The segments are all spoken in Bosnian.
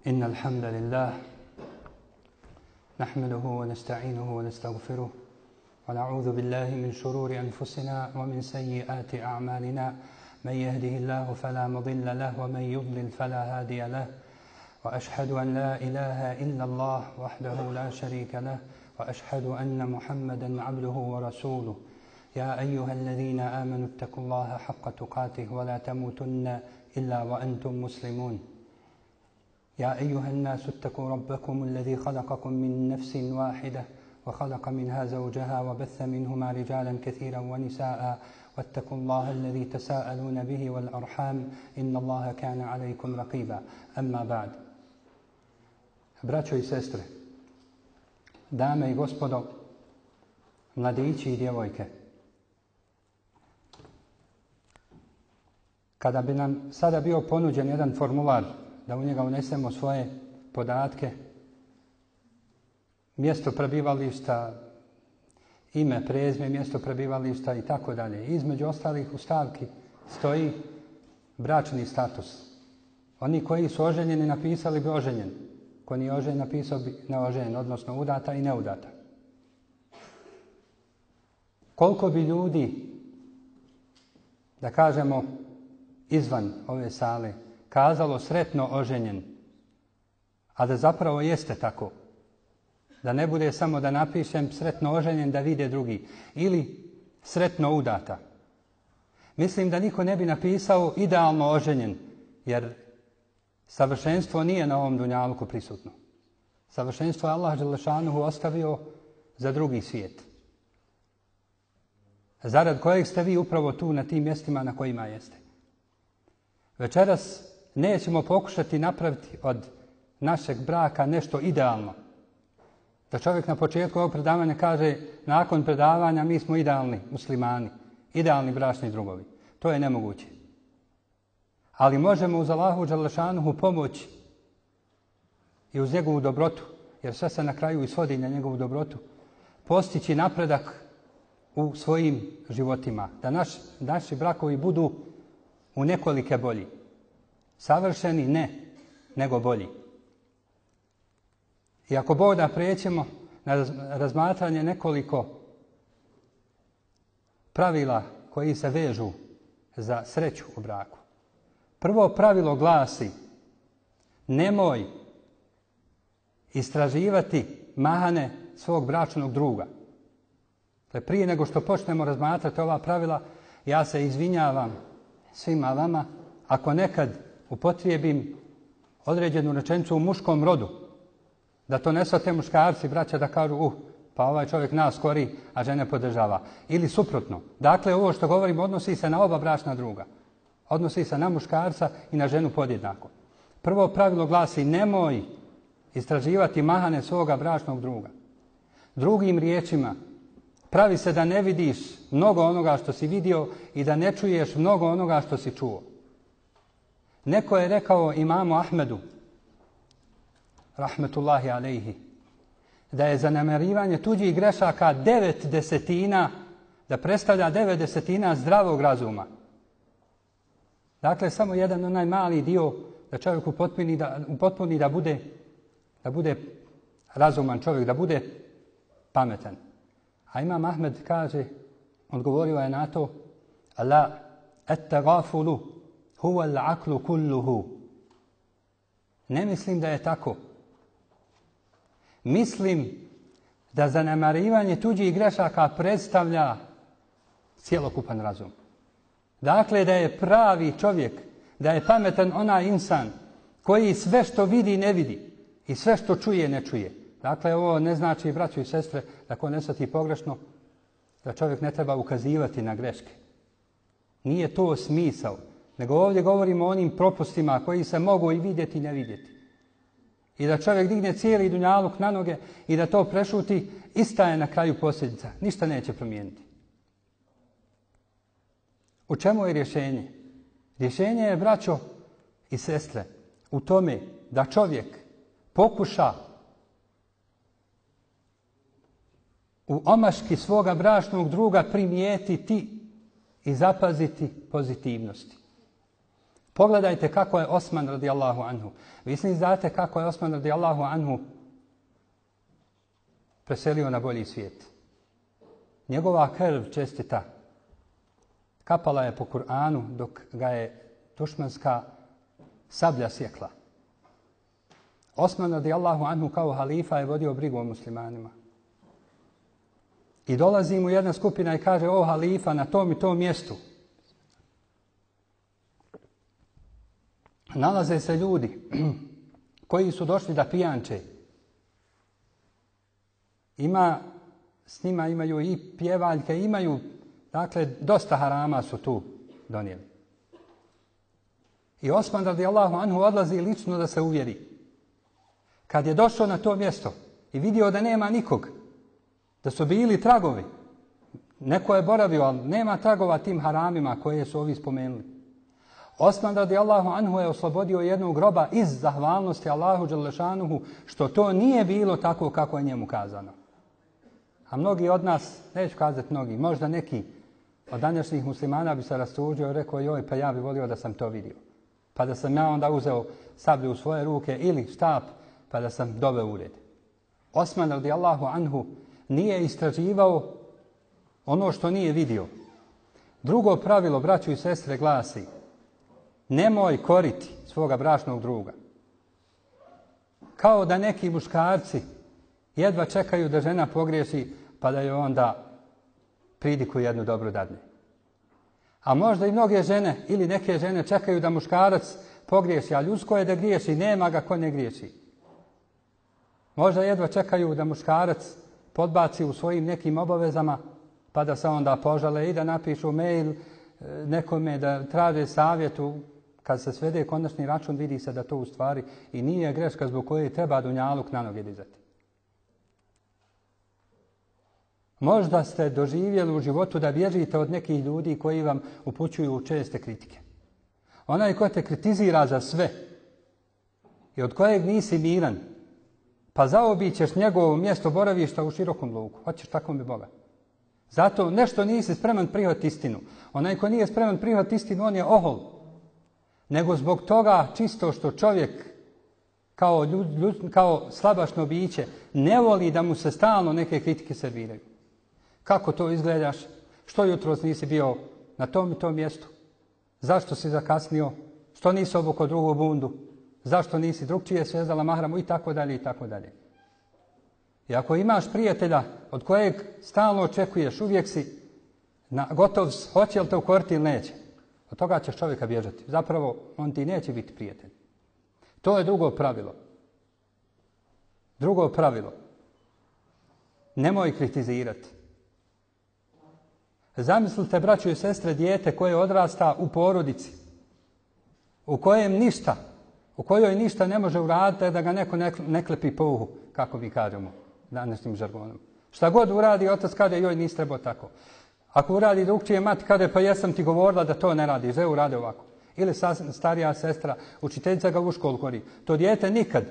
إن الحمد لله نحمده ونستعينه ونستغفره ونعوذ بالله من شرور أنفسنا ومن سيئات أعمالنا من يهده الله فلا مضل له ومن يضلل فلا هادي له وأشهد أن لا إله إلا الله وحده لا شريك له وأشهد أن محمدا عبده ورسوله يا أيها الذين آمنوا اتقوا الله حق تقاته ولا تموتن إلا وأنتم مسلمون يا أيها الناس اتقوا ربكم الذي خلقكم من نفس واحدة وخلق منها زوجها وبث منهما رجالا كثيرا ونساء واتقوا الله الذي تساءلون به والأرحام إن الله كان عليكم رقيبا أما بعد. Braćo i sestre, dame i gospodo, mladići i djevojke, kada bi nam sada bio ponuđen jedan formular da u njega unesemo svoje podatke, mjesto prebivališta, ime, prezime, mjesto prebivališta i tako dalje. Između ostalih u stavki stoji bračni status. Oni koji su oženjeni napisali bi oženjen. Ko nije oženjen napisao bi neoženjen, odnosno udata i neudata. Koliko bi ljudi, da kažemo izvan ove sale, kazalo sretno oženjen, a da zapravo jeste tako. Da ne bude samo da napišem sretno oženjen da vide drugi. Ili sretno udata. Mislim da niko ne bi napisao idealno oženjen, jer savršenstvo nije na ovom dunjaluku prisutno. Savršenstvo je Allah dželešanuhu ostavio za drugi svijet. Zarad kojeg ste vi upravo tu na tim mjestima na kojima jeste. Večeras nećemo pokušati napraviti od našeg braka nešto idealno. Da čovjek na početku ovog predavanja kaže nakon predavanja mi smo idealni muslimani, idealni bračni drugovi. To je nemoguće. Ali možemo uz Allahu dželešanuhu pomoći i uz njegovu dobrotu, jer sve se na kraju isvodi na njegovu dobrotu, postići napredak u svojim životima. Da naši brakovi budu u nekolike bolji. Savršeni ne, nego bolji. I ako Bog da pređemo na razmatranje nekoliko pravila koji se vežu za sreću u braku. Prvo pravilo glasi: nemoj istraživati mahane svog bračnog druga. Prije nego što počnemo razmatrati ova pravila, ja se izvinjavam svima vama ako nekad upotrijebim određenu rečenicu u muškom rodu. Da to ne shvate muškarci, braća, da kažu pa ovaj čovjek nas kori, a žene podržava. Ili suprotno. Dakle, ovo što govorim odnosi se na oba bračna druga. Odnosi se na muškarca i na ženu podjednako. Prvo pravilo glasi: nemoj istraživati mahane svoga bračnog druga. Drugim riječima, pravi se da ne vidiš mnogo onoga što si vidio i da ne čuješ mnogo onoga što si čuo. Neko je rekao imamu Ahmedu, rahmetullahi alejhi, da je zanemarivanje tuđih grešaka 9/10, da predstavlja 9/10 zdravog razuma. Dakle, samo jedan onaj mali dio da čovjek upotpuni da bude razuman čovjek, da bude pametan. A imam Ahmed kaže, odgovorio je na to: la at-tagafulu huwa al-aqlu kulluhu. Ne mislim da je tako. Mislim da zanemarivanje tuđih grešaka predstavlja cjelokupan razum. Dakle, da je pravi čovjek, da je pametan onaj insan koji sve što vidi ne vidi i sve što čuje ne čuje. Dakle, ovo ne znači, braćo i sestre, da ko ne shvati pogrešno, da čovjek ne treba ukazivati na greške. Nije to smisao, nego ovdje govorimo o onim propustima koji se mogu i vidjeti i ne vidjeti. I da čovjek digne cijeli dunjaluk na noge i da to prešuti, ista je na kraju posljedica. Ništa neće promijeniti. U čemu je rješenje? Rješenje je, braćo i sestre, u tome da čovjek pokuša u omaški svoga bračnog druga primijetiti i zapaziti pozitivnosti. Pogledajte kako je Osman radijallahu anhu. Vi svi znate kako je Osman radijallahu anhu preselio na bolji svijet. Njegova krv čestita kapala je po Kur'anu dok ga je dušmanska sablja sjekla. Osman radijallahu anhu kao halifa je vodio brigu o muslimanima. I dolazi mu jedna skupina i kaže: o halifa, na tom i tom mjestu nalaze se ljudi koji su došli da pijanče. S njima imaju i pjevaljke, imaju, dakle, dosta harama su tu donijeli. I Osman radijallahu anhu odlazi lično da se uvjeri. Kad je došao na to mjesto i vidio da nema nikog, da su bili tragovi, neko je boravio, ali nema tragova tim haramima koje su ovi spomenuli. Osman radijallahu anhu je oslobodio jednog groba iz zahvalnosti Allahu dželešanuhu što to nije bilo tako kako je njemu kazano. A mnogi od nas, neću kazati mnogi, možda neki od današnjih muslimana bi se rastužio i rekao: joj, pa ja bi volio da sam to vidio. Pa da sam ja onda uzeo sablju u svoje ruke ili štap pa da sam doveo u red. Osman radijallahu anhu nije istraživao ono što nije vidio. Drugo pravilo, braćo i sestre, glasi: nemoj koriti svoga bračnog druga. Kao da neki muškarci jedva čekaju da žena pogriješi pa da joj onda pridiku jednu dobru dadne. A možda i mnoge žene ili neke žene čekaju da muškarac pogriješi, a ljudsko je da griješi, nema ga ko ne griješi. Možda jedva čekaju da muškarac podbaci u svojim nekim obavezama pa da se onda požale i da napišu mail nekome da traže savjetu. Kad se svede konačni račun, vidi se da to u stvari i nije greška zbog koje treba dunjaluk na noge dizati. Možda ste doživjeli u životu da bježite od nekih ljudi koji vam upućuju česte kritike. Onaj ko te kritizira za sve i od kojeg nisi miran, pa zaobićeš njegovo mjesto boravišta u širokom luku. Hoćeš tako mi Boga. Zato nešto nisi spreman prihvatiti istinu. Onaj ko nije spreman prihvatiti istinu, on je ohol. Nego zbog toga čisto što čovjek kao slabašno biće ne voli da mu se stalno neke kritike serviraju. Kako to izgledaš? Što jutros nisi bio na tom i tom mjestu? Zašto si zakasnio? Što nisi obukao drugu bundu? Zašto nisi drugčije svezala mahramu? I tako dalje, i tako dalje. I ako imaš prijatelja od kojeg stalno očekuješ, uvijek si gotov, hoće li te ukoriti ili neće, od toga ćeš čovjeka bježati. Zapravo, on ti neće biti prijatelj. To je drugo pravilo. Drugo pravilo. Nemoj kritizirati. Zamislite, braćo i sestre, dijete koje odrasta u porodici, u kojoj ništa ne može uraditi da ga neko ne klepi po uhu, kako mi kažemo današnjim žargonom. Šta god uradi, otac kaže: joj, nisi trebao tako. Ako uradi drugčije, mati kaže: pa jesam ti govorila da to ne radi, že urade ovako. Ili starija sestra, učiteljica ga u školu kori. To dijete nikad,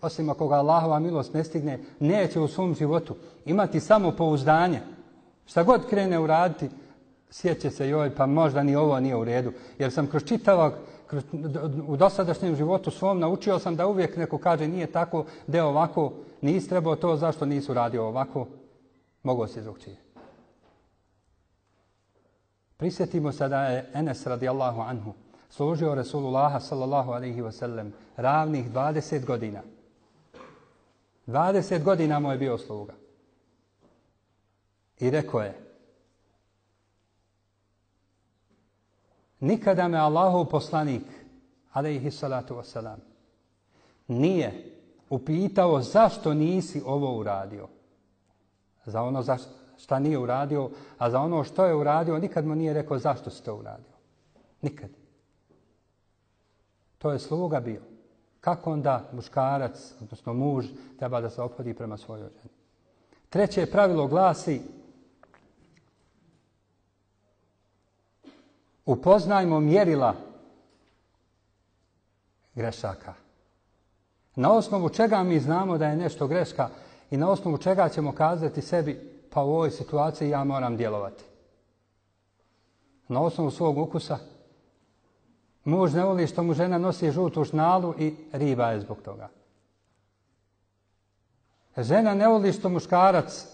osim ako ga Allahova milost ne stigne, neće u svom životu imati samopouzdanje. Šta god krene uraditi, sjeće se: joj, pa možda ni ovo nije u redu. Jer sam u dosadašnjem životu svom naučio sam da uvijek neko kaže: nije tako, da je ovako, nisi trebao to, zašto nisi uradio ovako, mogao si drugčije. Prisjetimo se da je Enes radijallahu anhu služio Resulullaha sallallahu alaihi wa sallam ravnih 20 godina. 20 godina mu je bio sluga. I rekao je: nikada me Allahov poslanik alejhi salatu vesselam nije upitao zašto nisi ovo uradio. Za ono šta nije uradio, a za ono što je uradio nikad mu nije rekao zašto si to uradio. Nikad. To je sluga bio. Kako onda muškarac, odnosno muž, treba da se ophodi prema svojoj ženi? Treće pravilo glasi: upoznajmo mjerila grešaka. Na osnovu čega mi znamo da je nešto greška i na osnovu čega ćemo kazati sebi: pa u ovoj situaciji ja moram djelovati. Na osnovu svog ukusa Muž ne voli što mu žena nosi žutu šnalu i riba je zbog toga. Žena ne voli što muškarac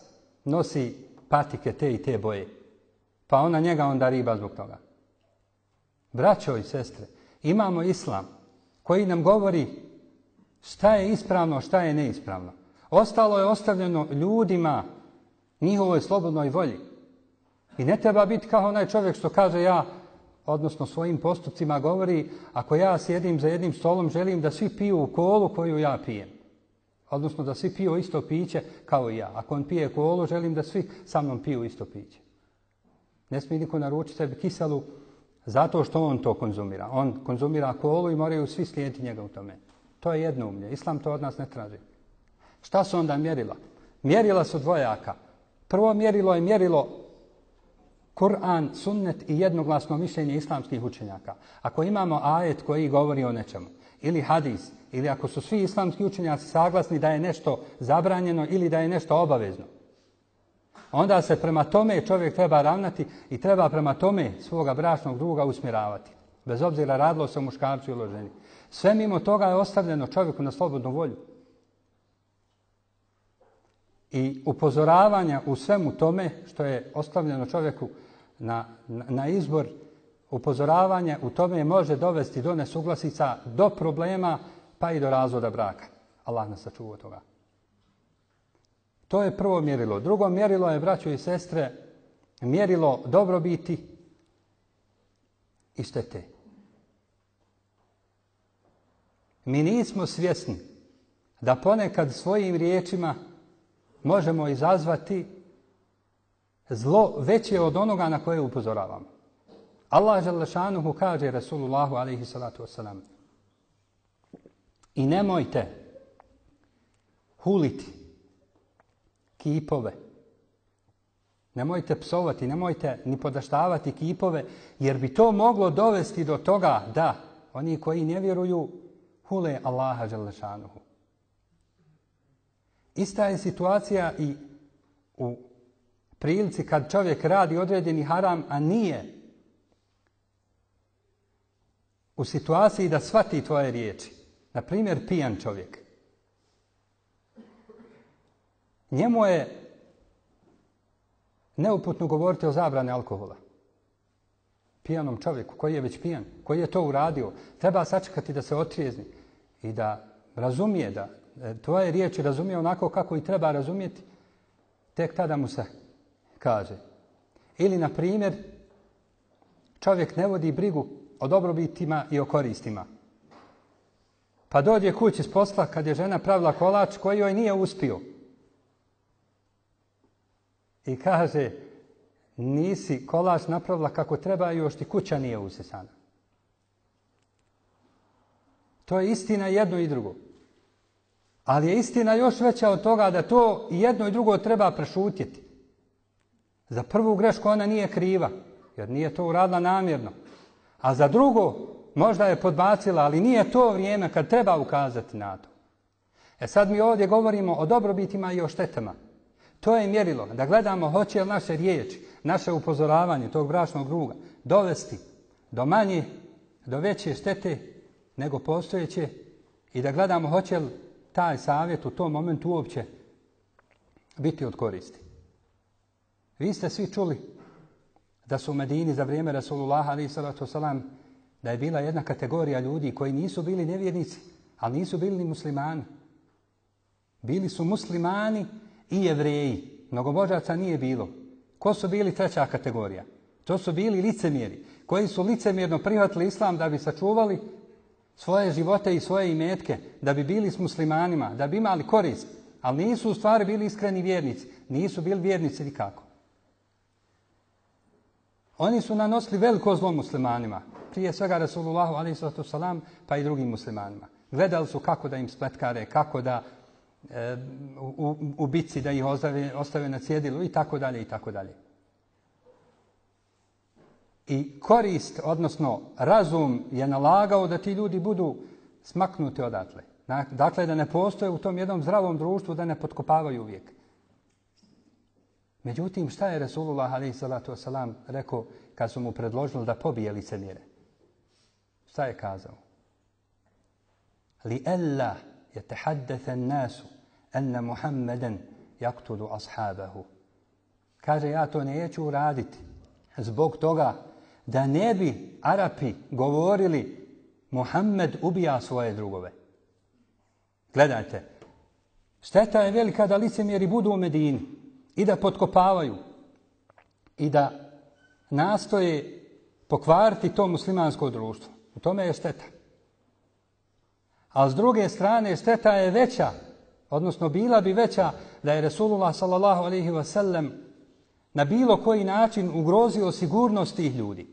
nosi patike te i te boje. Pa ona njega onda riba zbog toga. Braćo i sestre, imamo islam koji nam govori šta je ispravno, šta je neispravno. Ostalo je ostavljeno ljudima, njihovoj slobodnoj volji. I ne treba biti kao onaj čovjek što kaže ja, odnosno svojim postupcima govori, ako ja sjedim za jednim stolom, želim da svi piju kolu koju ja pijem. Odnosno da svi piju isto piće kao i ja. Ako on pije kolu, želim da svi sa mnom piju isto piće. Ne smije niko naručiti sebi kiselu zato što on to konzumira. On konzumira kolu i moraju svi slijediti njega u tome. To je jednoumlje. Islam to od nas ne traži. Šta su onda mjerila? Mjerila su dvojaka. Prvo mjerilo je mjerilo Kur'an, sunnet i jednoglasno mišljenje islamskih učenjaka. Ako imamo ajet koji govori o nečemu, ili hadis, ili ako su svi islamski učenjaci saglasni da je nešto zabranjeno ili da je nešto obavezno, onda se prema tome čovjek treba ravnati i treba prema tome svoga bračnog druga usmjeravati. Bez obzira radilo se o muškarcu ili o ženi. Sve mimo toga je ostavljeno čovjeku na slobodnu volju. I upozoravanja u svemu tome što je ostavljeno čovjeku na izbor, upozoravanje u tome može dovesti do nesuglasica, do problema, pa i do razvoda braka. Allah nas sačuva od toga. To je prvo mjerilo. Drugo mjerilo je, braćo i sestre, mjerilo dobrobiti i štete. Mi nismo svjesni da ponekad svojim riječima možemo izazvati zlo veće od onoga na koje upozoravamo. Allah dželle šanuhu kaže Rasulullahu alejhi salatu vesselam: i nemojte huliti kipove, nemojte psovati, nemojte ni podaštavati kipove, jer bi to moglo dovesti do toga da oni koji ne vjeruju hule Allaha dželle šanuhu. Ista je situacija i u prilici kad čovjek radi određeni haram, a nije u situaciji da shvati tvoje riječi. Na primjer, pijan čovjek. Njemu je neuputno govoriti o zabrani alkohola. Pijanom čovjeku koji je već pijan, koji je to uradio, treba sačekati da se otrijezni i da razumije, da tvoje riječi razumije onako kako i treba razumjeti, tek tada mu se kaže. Ili, na primjer, čovjek ne vodi brigu o dobrobitima i o koristima. Pa dođe kući s posla kad je žena pravila kolač koji joj nije uspio. I kaže, nisi kolač napravila kako treba i još ti kuća nije usisana. To je istina jedno i drugo. Ali je istina još veća od toga da to jedno i drugo treba prešutjeti. Za prvu grešku ona nije kriva, jer nije to uradila namjerno. A za drugo, možda je podbacila, ali nije to vrijeme kad treba ukazati na to. Sad mi ovdje govorimo o dobrobitima i o štetama. To je mjerilo, da gledamo hoće li naše riječi, naše upozoravanje tog bračnog druga dovesti do manje, do veće štete nego postojeće i da gledamo hoće li taj savjet u tom momentu uopće biti od koristi. Vi ste svi čuli da su u Medini za vrijeme Rasulullaha alejhi salatu vesselam da je bila jedna kategorija ljudi koji nisu bili nevjernici, ali nisu bili ni muslimani. Bili su muslimani i jevreji. Mnogobožaca nije bilo. Ko su bili treća kategorija? To su bili licemjeri, koji su licemjerno prihvatili islam da bi sačuvali svoje živote i svoje imetke, da bi bili s muslimanima, da bi imali korist, ali nisu u stvari bili iskreni vjernici. Nisu bili vjernici nikako. Oni su nanosili veliko zlo muslimanima, prije svega Rasulullahu alejhi salatu vesselam, pa i drugim muslimanima. Gledali su kako da im spletkare, kako da u bitci da ih ostave na cjedilu i tako dalje i tako dalje. I korist, odnosno razum je nalagao da ti ljudi budu smaknuti odatle. Dakle, da ne postoje u tom jednom zdravom društvu, da ne potkopavaju uvijek. Međutim, šta je Rasulullah alejhi salatu vesselam rekao kad su mu predložili da pobije licemjere? Šta je kazao? Li alla yatahaddatha an-nasu anna Muhammadan yaqtulu ashabahu. Kaže, ja to neću uraditi zbog toga da ne bi Arapi govorili Muhammed ubija svoje drugove. Gledajte, šteta je velika da licemjeri budu u Medini i da potkopavaju i da nastoje pokvariti to muslimansko društvo. U tome je šteta. A s druge strane, šteta je veća, odnosno bila bi veća da je Resulullah sallallahu alejhi ve sellem na bilo koji način ugrozio sigurnost tih ljudi.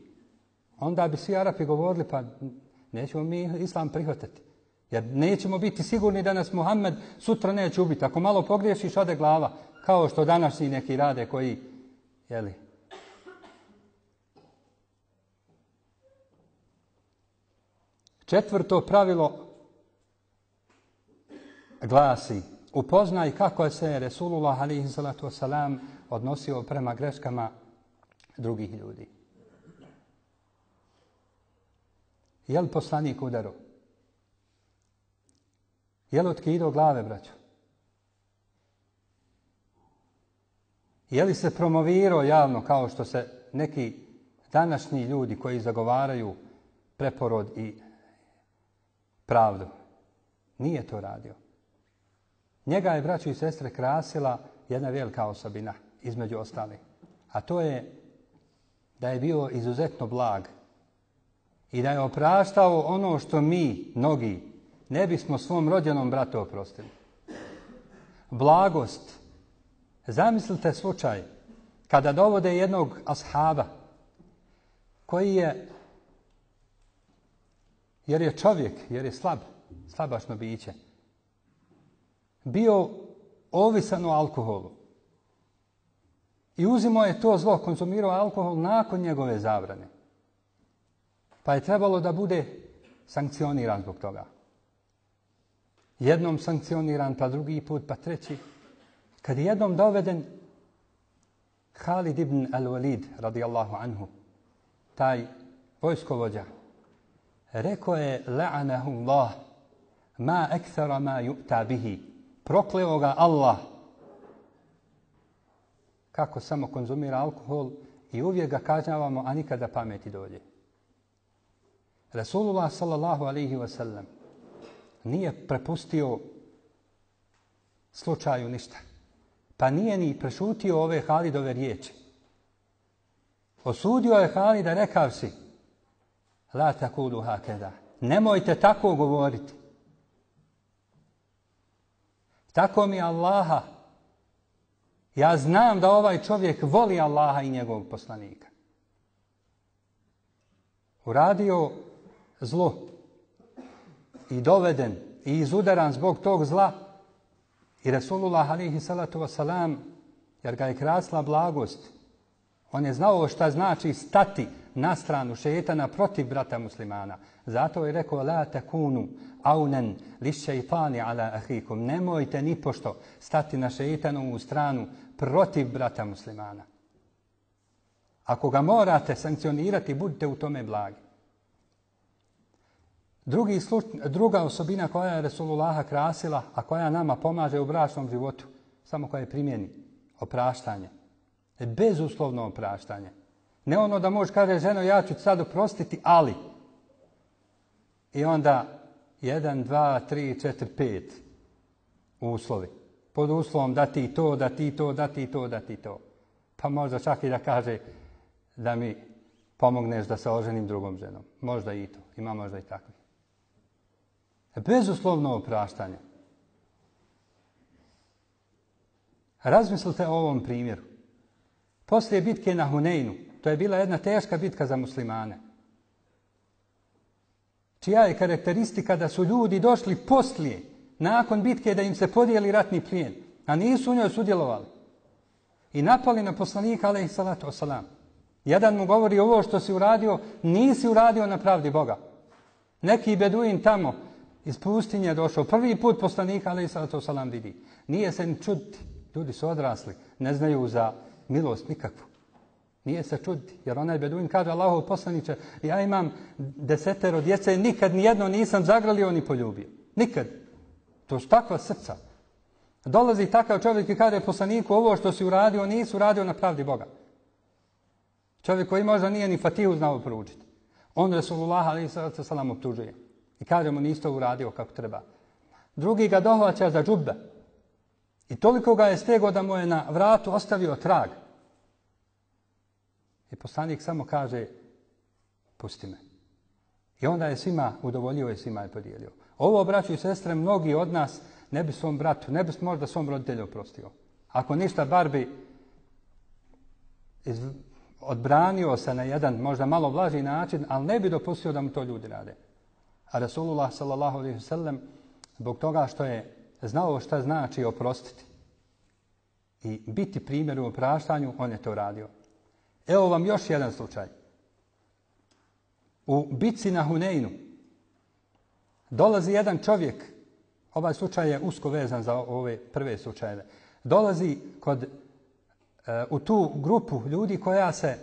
Onda bi svi Arapi govorili, pa nećemo mi islam prihvatiti. Jer nećemo biti sigurni da nas Muhammed sutra neće ubiti. Ako malo pogriješiš, ode glava. Kao što današnji neki rade koji, jeli. Četvrto pravilo glasi: upoznaj kako se Resulullah alejhi salatu vesselam odnosio prema greškama drugih ljudi. Je li poslanik udaro? Je li otkidao glave, braćo? Je li se promovirao javno kao što se neki današnji ljudi koji zagovaraju preporod i pravdu? Nije to radio. Njega je, braćo i sestre, krasila jedna velika osobina, između ostalih. A to je da je bio izuzetno blag i da je opraštao ono što mi, mnogi, ne bismo svom rođenom bratu oprostili. Blagost. Zamislite slučaj kada dovode jednog ashaba koji je, jer je čovjek, jer je slabašno biće, bio ovisan o alkoholu. I uzimao je to zlo, konzumirao alkohol nakon njegove zabrane. Pa je trebalo da bude sankcioniran zbog toga. Jednom sankcioniran, pa drugi put, pa treći. Kad je jednom doveden Halid ibn al-Walid, radijallahu anhu, taj vojskovođa, rekao je: la'anahu Allah, ma akthara ma yu'ta bihi. Prokleo ga Allah. Kako samo konzumira alkohol i uvijek ga kažnjavamo, a nikada pameti dođe. Resulullah sallallahu alejhi ve sellem nije prepustio slučaju ništa. Pa nije ni prešutio ove Halidove riječi. Osudio je Halida rekavši: la takulu hakeza. Nemojte tako govoriti. Tako mi Allaha, ja znam da ovaj čovjek voli Allaha i njegovog poslanika. Uradio zlo i doveden i izudaran zbog tog zla i Resulullah alejhi salatu vesselam, jer ga je krasila blagost, on je znao šta znači stati na stranu šejtana protiv brata muslimana. Zato je rekao: la takunu aunan lišejtani ala ahikum. Nemojte nipošto stati na šejtanovu stranu protiv brata muslimana. Ako ga morate sankcionirati, budite u tome blagi. Druga osobina koja je Resulullaha krasila, a koja nama pomaže u bračnom životu, samo koja je primjeni, opraštanje. Bezuslovno opraštanje. Ne ono da možeš kaže: ženo, ja ću sad oprostiti, ali. I onda 1, 2, 3, 4, 5 uslovi. Pod uslovom da ti to, da ti to, da ti to, da ti to. Pa možda čak i da kaže da mi pomogneš da se oženim drugom ženom. Možda i to. Ima možda i takvi. Bezuslovno opraštanje. Razmislite o ovom primjeru. Poslije bitke na Huneinu, to je bila jedna teška bitka za muslimane, čija je karakteristika da su ljudi došli poslije, nakon bitke, da im se podijeli ratni plijen, a nisu u njoj sudjelovali. I napali na poslanika alejhi salatu vesselam. Jedan mu govori: ovo što si uradio, nisi uradio na pravdi Boga. Neki beduin tamo iz pustinje došao, prvi put poslanika alejhi salatu vesselam vidi. Nije se ni čuditi, ljudi su odrasli, ne znaju za milost nikakvu. Nije se čuditi, jer onaj beduin kaže Allahov poslaniče, ja imam 10 djece, nikad nijedno nisam zagrlio ni poljubio. Nikad. To su takva srca. Dolazi takav čovjek i kaže poslaniku, ovo što si uradio, nisi uradio na pravdi Boga. Čovjek koji možda nije ni Fatihu znao proučiti. On Resulullah a.s. optužuje. I kaže mu, nisi to uradio kako treba. Drugi ga dohvaća za džubbe. I toliko ga je stego da mu je na vratu ostavio trag. I poslanik samo kaže, pusti me. I onda je svima udovoljio i svima je podijelio. Ovo, braćo i sestre, mnogi od nas ne bi svom bratu, ne bi možda svom roditelju oprostio. Ako ništa, bar bi odbranio se na jedan možda malo blaži način, ali ne bi dopustio da mu to ljudi rade. A Rasulullah sallallahu alejhi ve sellem, zbog toga što je znao šta znači oprostiti i biti primjer u opraštanju, on je to radio. Evo vam još jedan slučaj. U bitci na Huneinu dolazi jedan čovjek, ovaj slučaj je usko vezan za ove prve slučajeve, dolazi u tu grupu ljudi koja se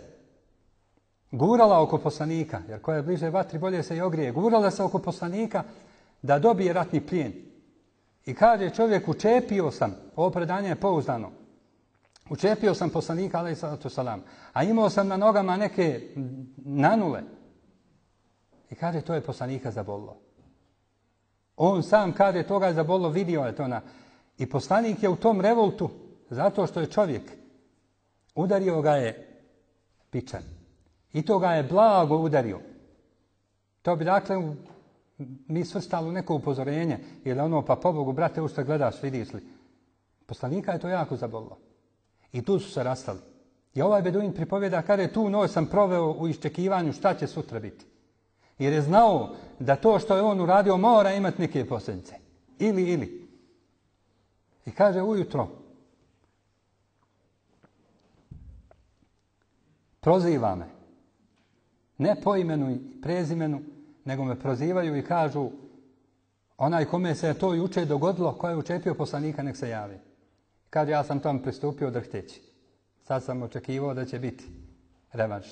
gurala oko poslanika, jer koja je bliže vatri bolje se i ogrije, gurala se oko poslanika da dobije ratni plijen. I kaže čovjek, učepio sam, ovo predanje je pouzdano, učepio sam poslanika, alejhi salatu selam, a imao sam na nogama neke nanule. I kaže, to je poslanika zabolilo. On sam kaže, toga je zabolilo, vidio je to I poslanik je u tom revoltu, zato što je čovjek, udario ga je pičan. I to ga je blago udario. To bi dakle mi svrstali u neko upozorenje, jer ono, pa pobogu, brate, u što gledaš, vidiš li. Poslanika je to jako zabolilo. I tu su se rastali. I ovaj beduin pripovjeda, kaže, tu noć sam proveo u iščekivanju šta će sutra biti. Jer je znao da to što je on uradio mora imati neke posljedice. Ili. I kaže, ujutro proziva me. Ne po imenu i prezimenu, nego me prozivaju i kažu, onaj kome se je to juče dogodilo, ko je učepio poslanika, nek se javi. Kaže, ja sam tom pristupio drhteći. Sad sam očekivao da će biti revanš.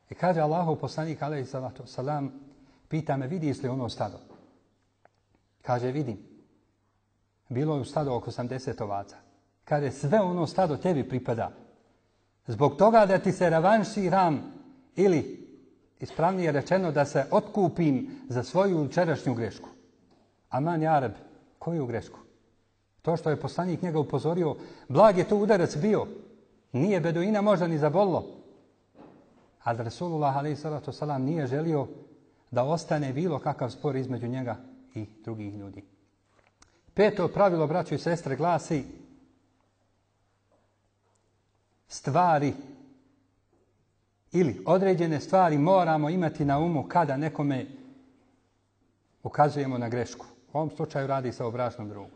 I kaže Allahov poslanik, alejhi salatu selam, pita me, vidiš li ono stado? Kaže, vidim. Bilo je u stado oko 80 ovaca. Kaže, sve ono stado tebi pripada. Zbog toga da ti se revanširam ili, ispravnije rečeno, da se otkupim za svoju jučerašnju grešku. Aman jareb, koju grešku? To što je poslanik njega upozorio, blag je to udarac bio. Nije beduina možda ni zabolilo. Ali Rasulullah a.s. nije želio da ostane bilo kakav spor između njega i drugih ljudi. 5. pravilo, braćo i sestre, glasi stvari ili određene stvari moramo imati na umu kada nekome ukazujemo na grešku. U ovom slučaju radi se o bračnom drugu.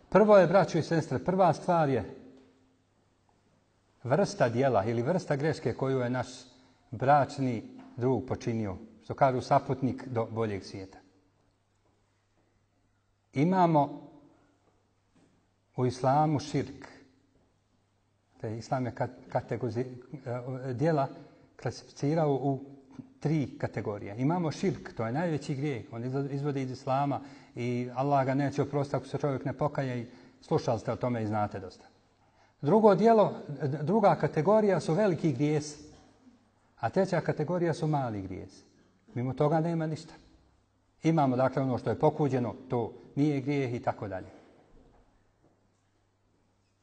Prvo je, braćo i sestre, prva stvar je vrsta djela ili vrsta greške koju je naš bračni drug počinio, što kažu saputnik do boljeg svijeta. Imamo u islamu širk. Islam je djela klasificirao u 3 kategorije. Imamo širk, to je najveći grijeh, on izvodi iz islama i Allah ga neće oprostiti ako se čovjek ne pokaje i slušali ste o tome i znate dosta. Druga kategorija su veliki grijesi, a treća kategorija su mali grijesi. Mimo toga nema ništa. Imamo dakle ono što je pokuđeno, to nije grijeh i tako dalje.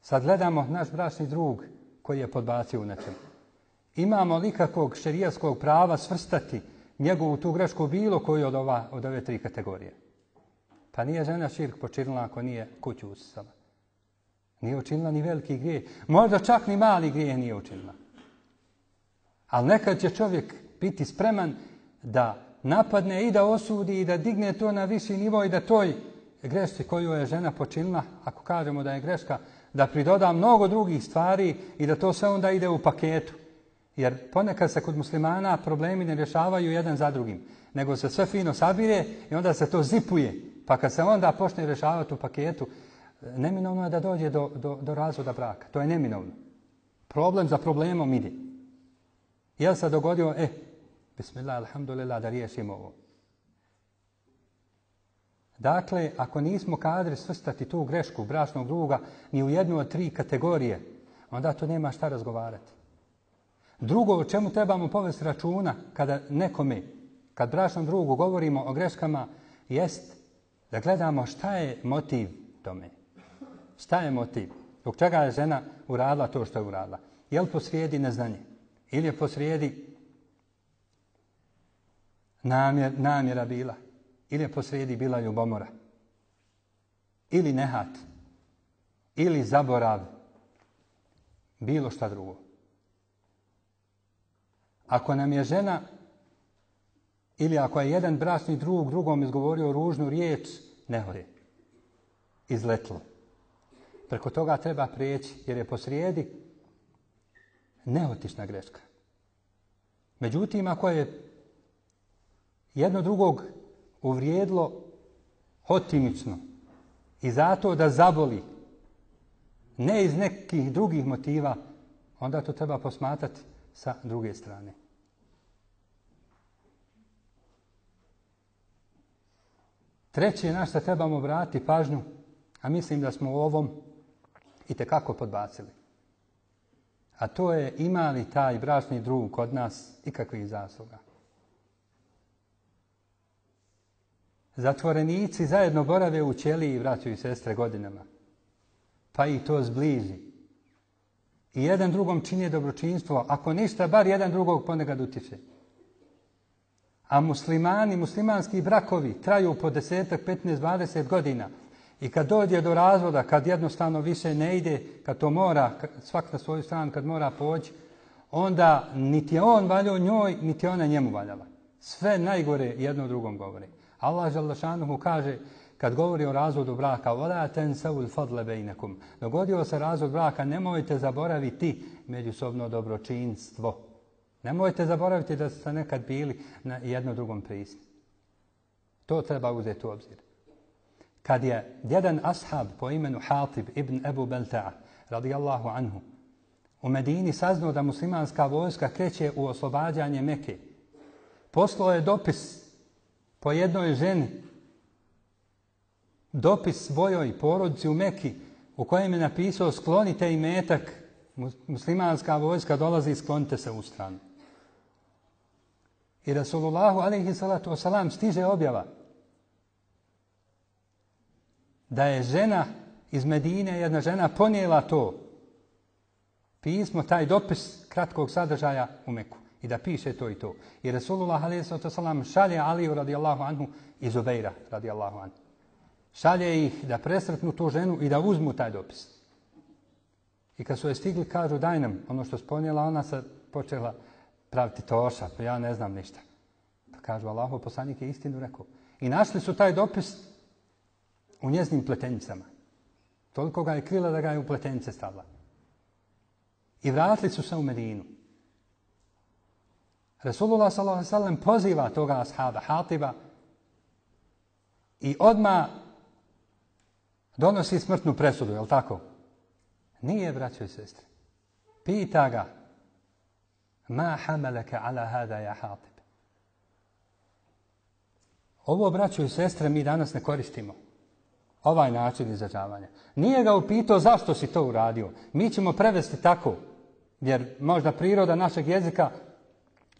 Sad gledamo naš bračni drug koji je podbacio u nečemu. Imamo li kakvog šerijatskog prava svrstati njegovu tu grešku bilo koju od ove 3 kategorije? Pa nije žena širk počinila ako nije kuću usisala. Nije učinila ni veliki grijeh. Možda čak ni mali grijeh nije učinila. Ali nekad će čovjek biti spreman da napadne i da osudi i da digne to na viši nivo i da toj grešci koju je žena počinila, ako kažemo da je greška, da pridoda mnogo drugih stvari i da to sve onda ide u paketu. Jer ponekad se kod muslimana problemi ne rješavaju jedan za drugim, nego se sve fino sabire i onda se to zipuje. Pa kad se onda počne rješavati u paketu, neminovno je da dođe do razvoda braka. To je neminovno. Problem za problemom ide. Jel se dogodio, bismillah, alhamdulillah, da riješimo ovo. Dakle, ako nismo kadri svrstati tu grešku bračnog druga ni u jednu od 3 kategorije, onda to nema šta razgovarati. Drugo, o čemu trebamo povesti računa kada nekome, kad bračnom drugu govorimo o greškama, jest da gledamo šta je motiv tome. Šta je motiv? Zbog čega je žena uradila to što je uradila? Je li posrijedi neznanje? Ili je posrijedi namjera bila? Ili je posrijedi bila ljubomora? Ili nehat? Ili zaborav? Bilo šta drugo. Ako nam je žena ili ako je jedan bračni drug drugom izgovorio ružnu riječ, nehode. Izletlo. Preko toga treba prijeći jer je posrijedi neotišna greška. Međutim, ako je jedno drugog uvrijedilo hotimično i zato da zaboli, ne iz nekih drugih motiva, onda to treba posmatrati sa druge strane. Treće na što trebamo vratiti pažnju, a mislim da smo u ovom itekako podbacili. A to je ima li taj bračni drug kod nas ikakvih zasluga. Zatvorenici zajedno borave u ćeliji, braćo i sestre, godinama. Pa i to zbliži. I jedan drugom čini dobročinstvo, ako ništa, bar jedan drugog ponekad utječe. A muslimani, muslimanski brakovi traju po 10, 15, 20 godina. I kad dođe do razvoda, kad jednostavno više ne ide, kad to mora, svak na svoju stranu, kad mora poći, onda niti je on valjao njoj, niti ona njemu valjala. Sve najgore jedno drugom govori. Allah dželle kaže, kad govori o razvodu braka, وَلَا تَنْسَوُ الْفَضْلَ بَيْنَكُمْ. Dogodio se razvod braka, nemojte zaboraviti međusobno dobročinstvo. Nemojte zaboraviti da ste nekad bili na jedno drugom prisni. To treba uzeti u obzir. Kad je jedan ashab po imenu Hatib ibn Ebu Belta'a, radijallahu anhu, u Medini saznao da muslimanska vojska kreće u oslobađanje Mekke, poslao je dopis po jednoj ženi, dopis svojoj porodici u Mekki, u kojem je napisao sklonite imetak, muslimanska vojska dolazi, sklonite se u stranu. I Rasulullahu alejhi salatu wasalam stiže objava da je žena iz Medine, jedna žena ponijela to pismo, taj dopis kratkog sadržaja u Meku i da piše to i to. I Rasulullah alejhi salatu wasalam šalje Aliju radijallahu anhu i Zubeira radijallahu anhu. Šalje ih da presretnu tu ženu i da uzmu taj dopis. I kad su je stigli, kažu daj nam ono što sponijela, ona se počela praviti toša, pa ja ne znam ništa. Pa kažu Allahov poslanik je istinu rekao. I našli su taj dopis u njeznim pletenicama. Toliko ga je krila da ga je u pletenice stavila. I vratili su se u Medinu. Rasulullah s.a.v. poziva toga ashaba, Hatiba, i odmah donosi smrtnu presudu, je li tako? Nije, braćo i sestre. Pita ga, ma hamalaka ala hada ja Hatib. Ovo, braćo i sestre, mi danas ne koristimo. Ovaj način izražavanja. Nije ga upitao zašto si to uradio. Mi ćemo prevesti tako, jer možda priroda našeg jezika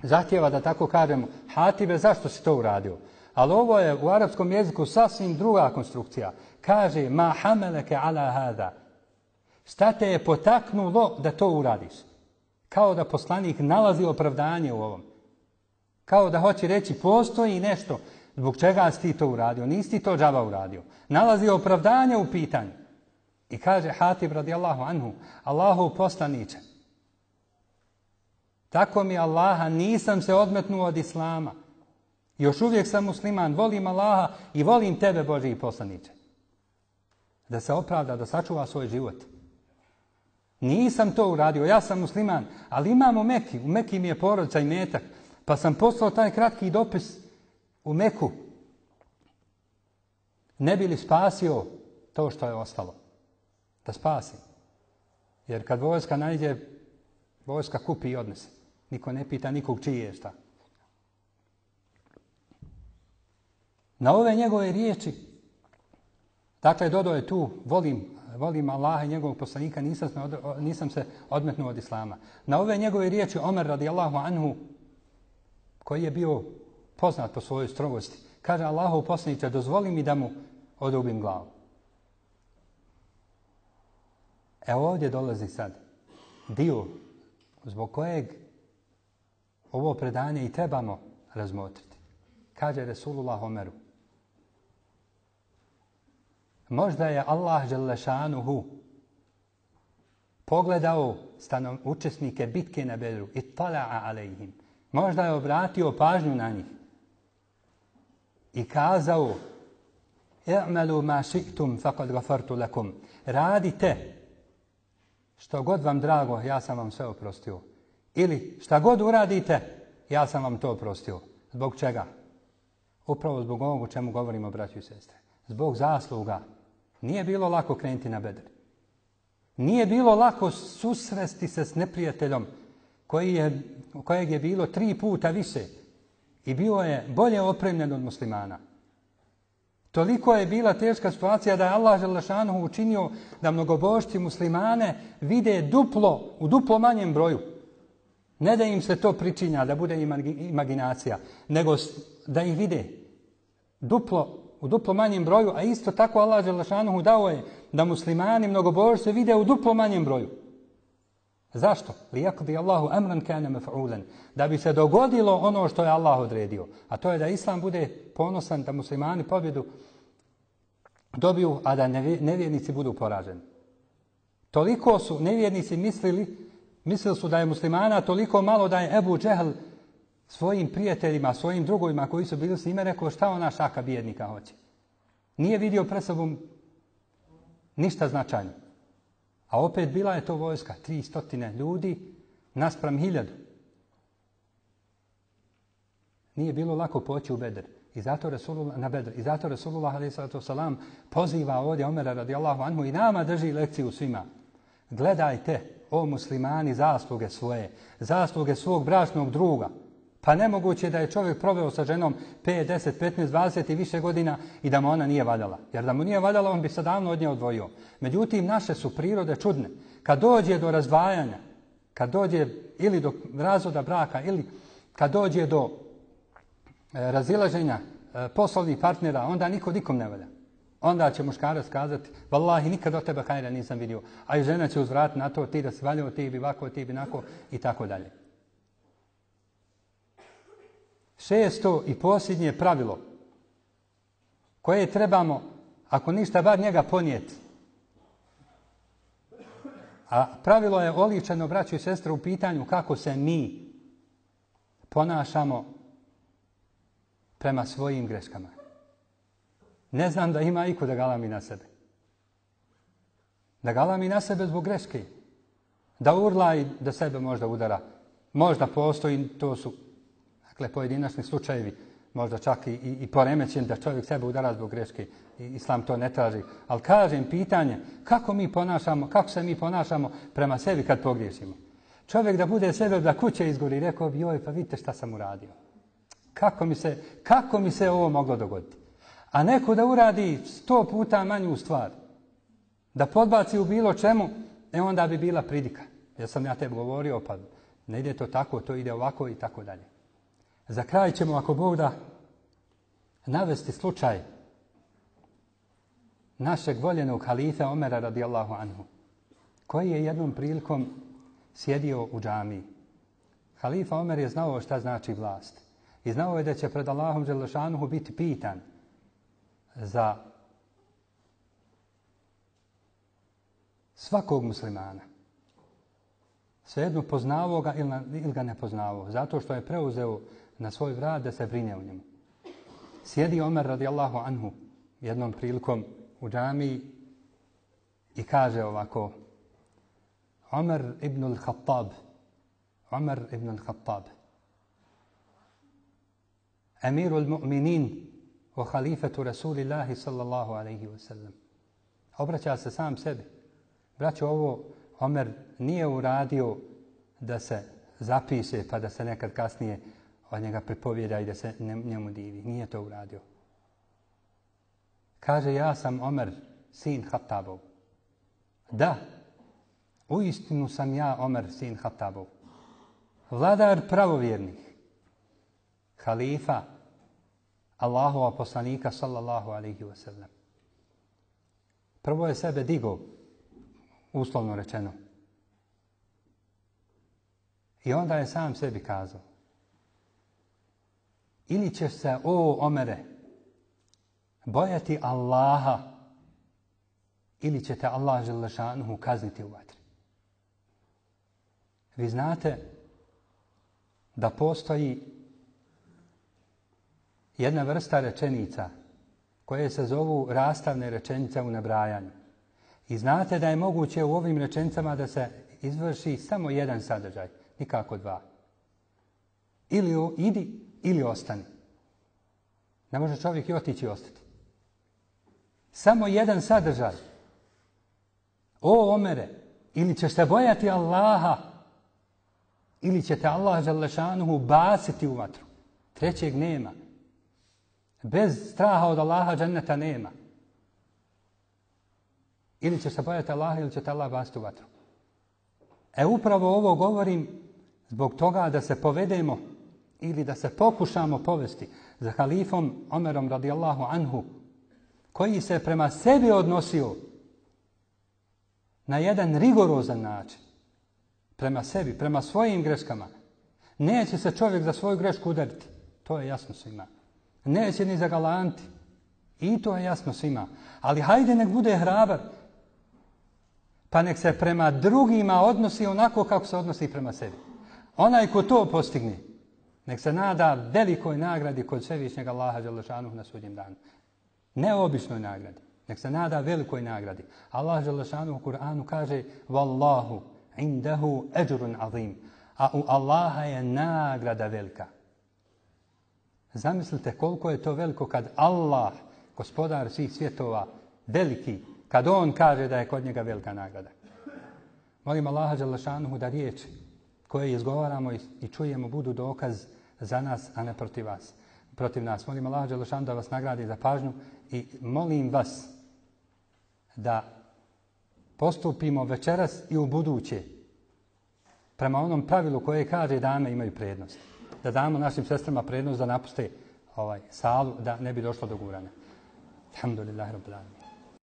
zahtjeva da tako kažemo, Hatibe, zašto si to uradio? Ali ovo je u arapskom jeziku sasvim druga konstrukcija. Kaže, ma hamalaka ala hada. Šta te je potaknulo da to uradiš? Kao da poslanik nalazi opravdanje u ovom. Kao da hoće reći, postoji nešto zbog čega si ti to uradio. Nisi ti to džaba uradio. Nalazi opravdanje u pitanju. I kaže Hatib radijallahu anhu, Allahov poslaniče, tako mi Allaha, nisam se odmetnuo od Islama. Još uvijek sam musliman, volim Allaha i volim tebe, Božji poslaniče. Da se opravda, da sačuva svoj život. Nisam to uradio, ja sam musliman, ali imam u Meki mi je porodica i metak, pa sam poslao taj kratki dopis u Meku. Ne bi li spasio to što je ostalo? Da spasim. Jer kad vojska najde, vojska kupi i odnese. Niko ne pita nikog čije je šta. Na ove njegove riječi, dakle, dodao je tu, volim Allaha i njegovog poslanika, nisam se odmetnuo od islama. Na ove njegove riječi Omer radijallahu anhu, koji je bio poznat po svojoj strogosti, kaže Allahov poslaniče, dozvoli mi da mu odrubim glavu. Evo ovdje dolazi sad dio zbog kojeg ovo predanje i trebamo razmotriti. Kaže Resulullah Omeru, možda je Allah Đelešanuhu pogledao učesnike bitke na Bedru i tala'a alejhim. Možda je obratio pažnju na njih i kazao i'malu ma ši'tum faqad ghafartu lakum. Radite što god vam drago, ja sam vam sve oprostio. Ili šta god uradite, ja sam vam to oprostio. Zbog čega? Upravo zbog ovog o čemu govorimo, braćo i sestre. Zbog zasluga. Nije bilo lako krenuti na Bedr. Nije bilo lako susresti se s neprijateljom kojeg je bilo 3 puta više i bio je bolje opremljen od muslimana. Toliko je bila teška situacija da je Allah Đelešanuhu učinio da mnogobožci muslimane vide u duplo manjem broju. Ne da im se to pričinja, da bude imaginacija, nego da ih vide u duplo manjem broju, a isto tako Allah Đelešanuhu dao je da muslimani mnogobožci vide u duplo manjem broju. Zašto? Liyaqdi Allahu amran kana maf'ulan. Da bi se dogodilo ono što je Allah odredio. A to je da Islam bude ponosan, da muslimani pobjedu dobiju, a da nevjernici budu poraženi. Toliko su nevjernici mislili su da je muslimana toliko malo da je Ebu Džehl svojim prijateljima, svojim drugovima koji su bili s njime rekao šta ona šaka bijednika hoće. Nije vidio pred sobom ništa značajno. A opet bila je to vojska, 300 ljudi naspram 1000. Nije bilo lako poći u Bedr. Na Bedr. I zato Resulullah a.s. poziva ovdje Omera radijallahu anhu i nama drži lekciju svima. Gledajte, o muslimani, zasluge svoje, zasluge svog bračnog druga. Pa nemoguće da je čovjek proveo sa ženom 5, 10, 15, 20 i više godina i da mu ona nije valjala. Jer da mu nije valjala, on bi se davno od nje odvojio. Međutim, naše su prirode čudne. Kad dođe do razdvajanja, kad dođe ili do razvoda braka, ili kad dođe do razilaženja poslovnih partnera, onda niko nikom ne valja. Onda će muškarac kazati, vallahi, nikad od tebe hajra nisam vidio. A i žena će uzvratiti na to, ti da si valjao, ti bi ovako, ti bi nako i tako dalje. 6. i posljednje pravilo koje trebamo, ako ništa, bar njega ponijeti. A pravilo je oličeno, braćo i sestre, u pitanju kako se mi ponašamo prema svojim greškama. Ne znam da ima iko da galami na sebe. Da galami na sebe zbog greške. Da urla i da sebe možda udara. Možda postoji, to su pojedinačni slučajevi, možda čak i poremećen da čovjek sebe udara zbog greške. Islam to ne traži. Ali kažem, pitanje, kako se mi ponašamo prema sebi kad pogriješimo. Čovjek da bude sebe da kuće izgori, rekao bi, joj, pa vidite šta sam uradio. Kako mi se ovo moglo dogoditi? A neko da uradi 100 puta manju stvar, da podbaci u bilo čemu, onda bi bila pridika. Ja sam tebi govorio, pa ne ide to tako, to ide ovako i tako dalje. Za kraj ćemo, ako Bog da, navesti slučaj našeg voljenog halife Omera radijallahu anhu, koji je jednom prilikom sjedio u džamiji. Halifa Omer je znao šta znači vlast. I znao je da će pred Allahom Đelešanuhu biti pitan za svakog muslimana. Svejedno poznavao ga ili ga ne poznavao. Zato što je preuzeo na svoj vrat da se brine o njemu. Sjedi Omer radijallahu anhu jednom prilikom u džamiji i kaže ovako: Omer ibn al-Khattab, amiru al-mu'minin wa halifatu Rasulillahi sallallahu alaihi wa sallam. Obraća se sam sebi. Braćo, ovo Omer nije uradio da se zapiše pa da se nekad kasnije od njega pripovjeda i da se njemu divi. Nije to uradio. Kaže, ja sam Omer, sin Hatabov. Da, uistinu sam ja Omer, sin Hatabov. Vladar pravovjernih. Halifa Allahova poslanika sallallahu alaihi wa sallam. Prvo je sebe digao, uslovno rečeno. I onda je sam sebi kazao. Ili ćeš se, o Omere, bojati Allaha, ili će te Allah dželle šanuhu kazniti u vatri. Vi znate da postoji jedna vrsta rečenica koje se zovu rastavne rečenice u nabrajanju. I znate da je moguće u ovim rečenicama da se izvrši samo jedan sadržaj, nikako dva. Ili idi, ili ostani. Ne može čovjek i otići i ostati. Samo jedan sadržaj. O Omere, ili ćeš se bojati Allaha, ili će te Allah dželle šanuhu baciti u vatru. Trećeg nema. Bez straha od Allaha dženneta nema. Ili ćeš se bojati Allaha, ili će te Allah baciti u vatru. Upravo ovo govorim zbog toga da se povedemo ili da se pokušamo povesti za halifom Omerom radijallahu anhu, koji se prema sebi odnosio na jedan rigorozan način. Prema sebi, prema svojim greškama. Neće se čovjek za svoju grešku udariti. To je jasno svima. Neće ni zagalanti. I to je jasno svima. Ali hajde nek bude hrabar. Pa nek se prema drugima odnosi onako kako se odnosi prema sebi. Onaj ko to postigne, nek se nada velikoj nagradi kod svevišnjeg Allaha dželle šanuhu na sudnjem danu. Ne običnoj nagradi, nek se nada velikoj nagradi. Allah dželle šanuhu u Kur'anu kaže: "Wallahu indahu ajrun azim." A u Allaha je nagrada velika. Zamislite koliko je to veliko kad Allah, gospodar svih svjetova, veliki, kad on kaže da je kod njega velika nagrada. Molim Allaha dželle šanuhu da riječi koje izgovaramo i čujemo budu dokaz za nas, a ne protiv nas. Molim Allaha dželle šanuhu da vas nagradi za pažnju i molim vas da postupimo večeras i u buduće prema onom pravilu koje kaže dame imaju prednost. Da damo našim sestrama prednost da napuste salu, da ne bi došlo do guranja. Alhamdulillahi rabbil alamin.